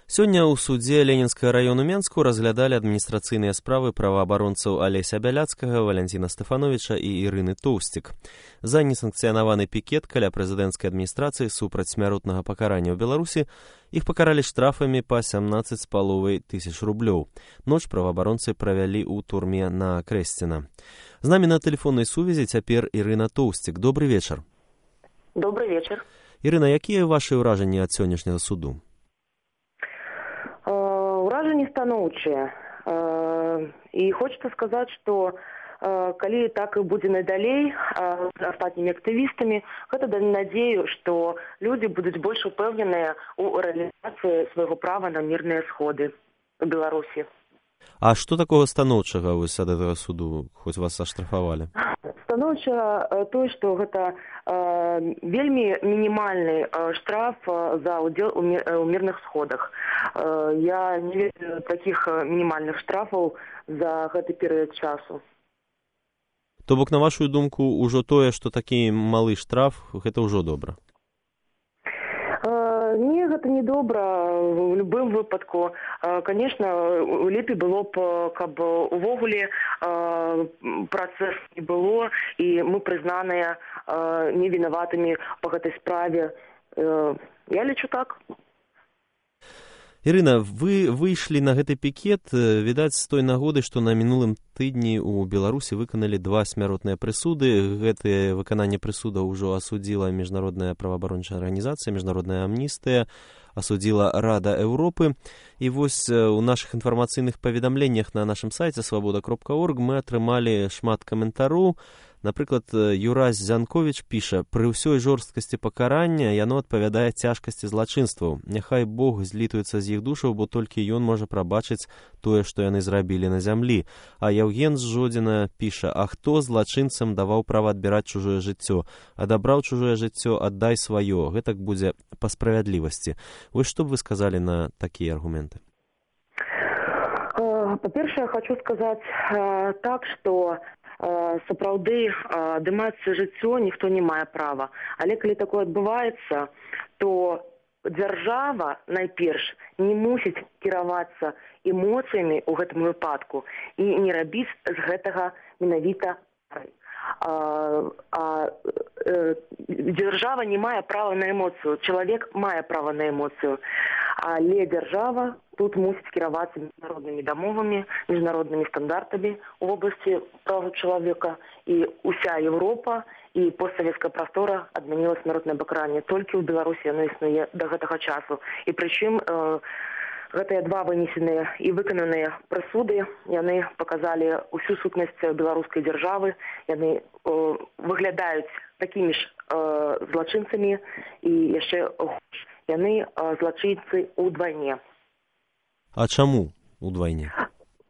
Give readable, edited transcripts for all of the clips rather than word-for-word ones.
Сёння ў судзе Ленінскага району Менску разглядалі адміністрацыйныя справы праваабаронцаў Алеся Бяляцкага, Валянціна Стэфановіча і Ірыны Тоўсцік. За несанкцыянаваны пікет каля прэзідэнцкай адміністрацыі супраць смяротнага пакарання ў Беларусі іх пакаралі штрафамі па 17,5 тысяч рублёў. Ноч праваабаронцы правялі ў турме на Крэсціна. З намі на тэлефоннай сувязі цяпер Ірына Тоўсцік. Добры вечар. Добрый вечер. Ірына, якія вашы ўражанні ад сённяшняга суду? Ўражанні станоўчыя. І хочется сказаць, што калі так і будзе надалей з астатнімі актывістамі, гэта дае надзею, што людзі будуць больш упэўненыя ў рэалізацыі свайго права на мірныя сходы ў Беларусі. А што такога станоўчага вось ад гэтага суду, хоць вас аштрафавалі? Станоўча тое, што гэта вельмі мінімальны штраф за ўдзел у мірных сходах. Я не ведаю такіх мінімальных штрафаў за гэты перыяд часу. То бок, на вашу думку, ужо тое, што такі малы штраф, гэта ўжо добра? Не, гэта не добра в любым выпадку. Конечно, лепей было б, каб увогуле працэс не было, і мы прызнаныя невінаватымі па гэтай справе. Я лічу так. Ірына, вы выйшлі на гэты пікет, відаць, з той нагоды, што на мінулым тыдні ў Беларусі выканалі 2 смяротныя прысуды. Гэтае выкананне прысуда ўжо асудзіла міжнародная праваабарончая арганізацыя, міжнародная амністыя, асудзіла Рада Еўропы. І вось у нашых інфармацыйных паведамленнях на нашым сайце свабода.орг мы атрымалі шмат каментароў. Напрыклад, Юрась Зянковіч піша: «Пры ўсёй жорсткасці пакарання яно адпавядае цяжкасці злачынстваў. Няхай Бог злітуецца з іх душаў, бо толькі ён можа прабачыць тое, што яны зрабілі на зямлі». А Яўген з Жодзіна піша: «А хто злачынцам даваў права адбіраць чужое жыццё? Адабраў чужое жыццё, аддай сваё. Гэтак будзе па справядлівасці». Вось што б вы сказалі на такія аргументы? Па-першае, хочу сказаць так, што сапраўды адымаць жыццё ніхто не мае права. Але калі такое адбываецца, то дзяржава найперш не мусіць кіравацца эмоцыямі ў гэтым выпадку і не рабіць з гэтага менавіта карай. Дзяржава не мае права на эмоцыю, чалавек мае права на эмоцыю, але дзяржава тут мусіць кіравацца міжнароднымі дамовамі, міжнароднымі стандартамі ў вобласці права чалавека, і ўся Еўропа і постсавецкая прастора адмяніла смяротнае пакаранне. Толькі ў Беларусі яно існуе да гэтага часу. І прычым гэтыя 2 вынесеныя і выкананыя прысуды, яны паказалі ўсю сутнасць беларускай дзяржавы, яны выглядаюць такімі ж злачынцамі, і яшчэ яны злачынцы ўдвайне. А чаму ўдвайне?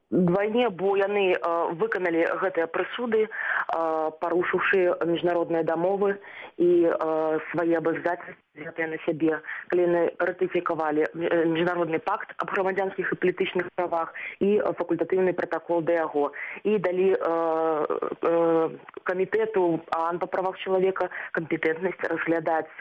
Двайне, бо яны выканалі гэтыя прысуды, парушыўшы міжнародныя дамовы і свае абавязацельствы взятыя на сябе, калі яны ратыфікавалі міжнародны пакт аб грамадзянскіх і палітычных правах і факультатыўны пратакол да яго, і далі камітэту па правах чалавека кампетэнтнасць разглядаць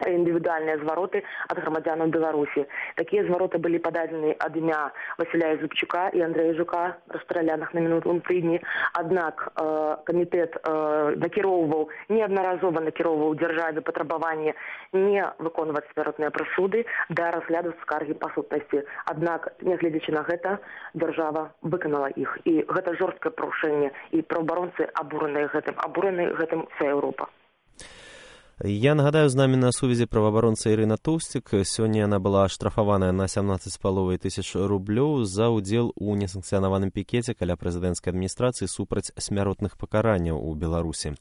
індывідуальныя звароты ад грамадзянаў Беларусі. Такія звароты былі пададзены ад імя Васіля Зубчука і Андрэя Жука, расстраляных на мінулым тыдні. Аднак камітэт неаднаразова накіроўваў дзяржаве патрабаванне не выконваць смяротныя прысуды да разгляду скаргі па сутнасці. Аднак, нягледзячы на гэта, дзяржава выканала іх. І гэта жорсткае парушэнне, і праваабаронцы абураны гэтым вся Еўропа. Я нагадаю, з намі на сувязі праваабаронца Ірына Тоўсцік. Сёння яна была аштрафаваная на 17,5 тысяч рублёў за ўдзел у несанкцыянаваным пікеце каля прэзідэнцкай адміністрацыі супраць смяротных пакаранняў у Беларусі.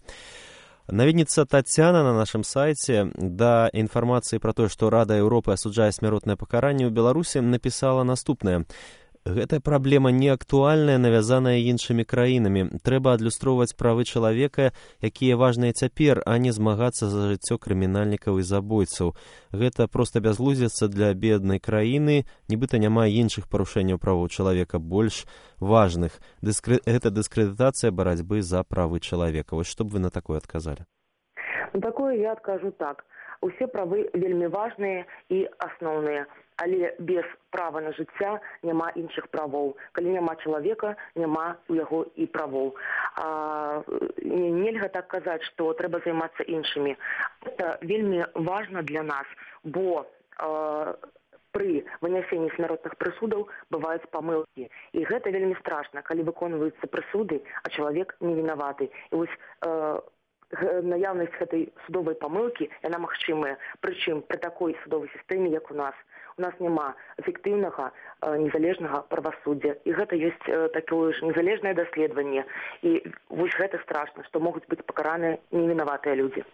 Наведніца Тацяна на нашым сайце да інфармацыі пра тое, што Рада Еўропы асуджае смяротнае пакаранне ў Беларусі, напісала наступнае: «Гэтая праблема не актуальная, навязаная іншымі краінамі. Трэба адлюстроўваць правы чалавека, якія важныя цяпер, а не змагацца за жыццё крымінальнікаў і забойцаў. Гэта проста бязглуздзіца для беднай краіны, нібыта няма іншых парушэнняў правоў чалавека больш важных. Гэта дыскрэдытацыя барацьбы за правы чалавека». Вось што б вы на такое адказалі? На такое я адкажу так. Усе правы вельмі важныя і асноўныя. але без права на жыцця няма іншых правоў. Калі няма чалавека, няма у яго і правоў. Нельга так казаць, што трэба займацца іншымі. Гэта вельмі важна для нас, бо пры вынясенні смяротных прысудаў бываюць памылкі. І гэта вельмі страшна, калі выконваюцца прысуды, а чалавек не вінаваты. І вось наяўнасць гэтай судовай памылкі, яна магчымая. Прычым пры такой судовай сістэме, як у нас. У нас няма эфектыўнага, незалежнага правасуддзя. І гэта ёсць такое ж незалежнае даследаванне. І вось гэта страшна, што могуць быць пакараныя невінаватыя людзі.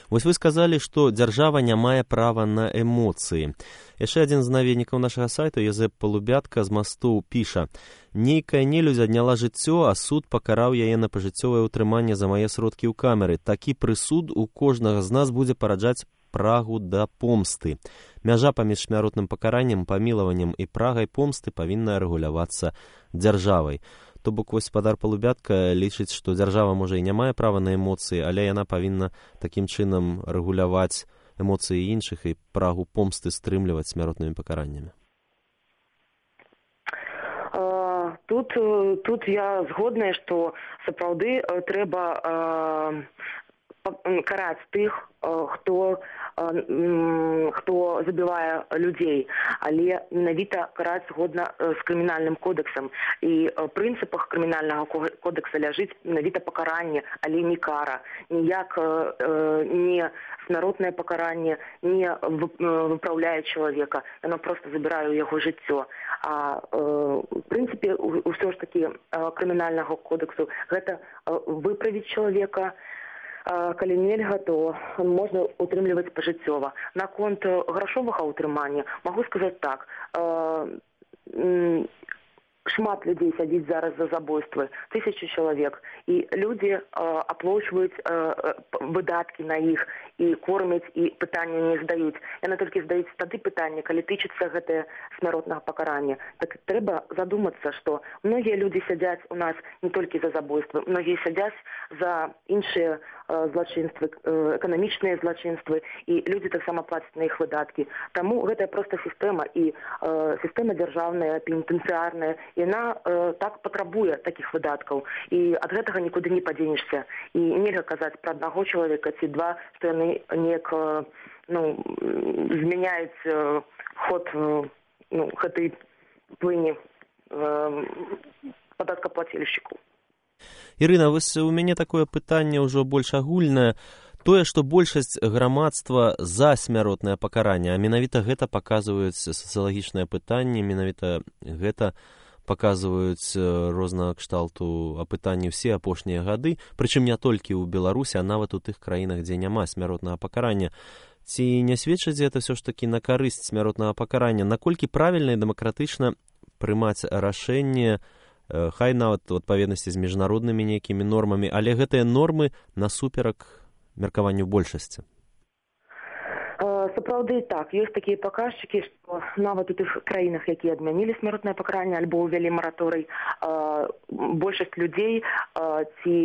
Вось вы сказалі, што дзяржава не мае права на эмоцыі. Яшчэ адзін з наведнікаў нашага сайта, Язэп Палубятка з Масту, піша: «Нейкая нелюдзь адняла жыццё, а суд пакараў яе на пажыццёвае ўтрыманне за мае сродкі ў камеры. Такі прысуд у кожнага з нас будзе параджаць прагу да помсты. Мяжа паміж смяротным пакараннем, памілаваннем і прагай помсты павінна рэгулявацца дзяржавай». То бок, гаспадар Палубятка лічыць, што дзяржава, можа, і не мае права на эмоцыі, але яна павінна такім чынам рэгуляваць эмоцыі іншых і прагу помсты стрымліваць смяротнымі пакараннямі. Тут я згодная, што сапраўды трэба караць тых, хто забівае людзей, але менавіта караць згодна з крымінальным кодэксам. І ў прынцыпах крымінальнага кодэкса ляжыць менавіта пакаранне, але не кара. Ніяк не смяротнае пакаранне не выпраўляе чалавека, яно проста забірае ў яго жыццё. А ў прынцыпе, ўсё ж такі крымінальнага кодэксу гэта выправіць чалавека. Калі нельга, то можна утрымліваць пажыццёва. Наконт грашовага ўтрымання магу сказаць так. Шмат людзей сядзіць зараз за забойствы, 1000 чалавек, і людзі аплачваюць выдаткі на іх і кормяць, і пытання не здаюць. Яны толькі здаюць тады пытанне, калі тычыцца гэтае смяротнага пакарання. Так трэба задумацца, што многія людзі сядзяць у нас не толькі за забойствы, многія сядзяць за іншыя злачынствы, эканамічныя злачынствы, і людзі таксама плацяць на іх выдаткі. Таму гэта проста сістэма, і сістэма дзяржаўная, пенітэнцыярная, яна так патрабуе такіх выдаткаў, і ад гэтага нікуды не падзенешся. І нельга казаць пра аднаго чалавека ці два, што яны неяк змяняюць ход гэтай плыні падаткаплацельшчыкаў. Ірына, вось у мяне такое пытанне ўжо больш агульнае. Тое, што большасць грамадства за смяротнае пакаранне, а менавіта гэта паказваюць сацыялагічныя пытанні, менавіта гэта паказваюць рознага кшталту апытанні ўсе апошнія гады, прычым не толькі ў Беларусі, а нават у тых краінах, дзе няма смяротнага пакарання. Ці не сведчыць гэта ўсё ж такі на карысць смяротнага пакарання? Наколькі правільна і дэмакратычна прымаць рашэнне, хай нават у адпаведнасці з міжнароднымі нейкімі нормамі, але гэтыя нормы насуперак меркаванню большасці? Сапраўды так, ёсць такія паказчыкі, што нават у тых краінах, якія адмянілі смяротнае пакаранне альбо ўвялі мараторый, большасць людзей ці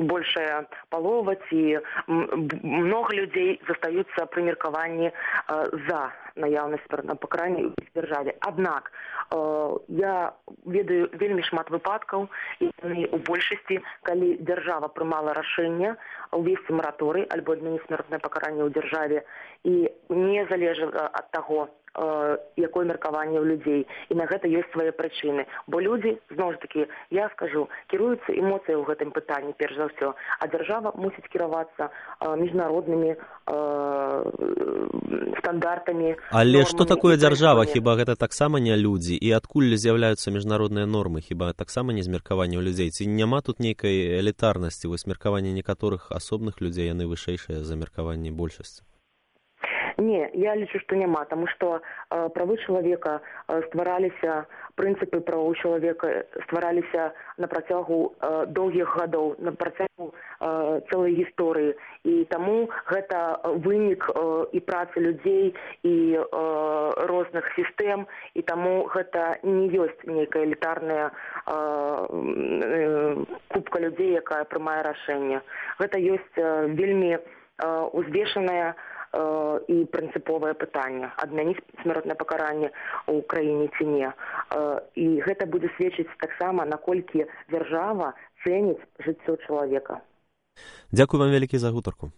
большая палова ці многа людзей застаюцца пры меркаванні за наяўнасць смяротнага пакарання ў дзяржаве. Аднак я ведаю вельмі шмат выпадкаў, і у большасці, калі дзяржава прымала рашэнне увесці мараторый альбо адмяніць смяротнае пакаранне ў дзяржаве, і не залежала ад таго, якое меркаванне ў людзей. І на гэта ёсць свае прычыны. Бо людзі, зноў ж такі, я скажу, кіруюцца эмоцыяй у гэтым пытанні, перш за ўсё, а дзяржава мусіць кіравацца міжнароднымі стандартамі. Але што такое дзяржава? Хіба гэта таксама не людзі? І адкуль з'яўляюцца міжнародныя нормы? Хіба таксама не з меркавання ў людзей? Ці няма тут нейкай элітарнасці? Вось меркаванне некаторых асобных людзей, яны вышэйшыя за меркаванне большасці? Не, я лічу, што няма, таму што правы чалавека ствараліся, прынцыпы правоў чалавека ствараліся на працягу доўгіх гадоў, на працягу цэлай гісторыі. І таму гэта вынік і працы людзей, і розных сістэм, і таму гэта не ёсць нейкая элітарная купка людзей, якая прымае рашэнне. Гэта ёсць вельмі узвешаная і прынцыповае пытанне, адмяніць смяротнае пакаранне ў краіне ці не. І гэта будзе сведчыць таксама, наколькі дзяржава цэніць жыццё чалавека. Дзякуй вам вялікі за гутарку.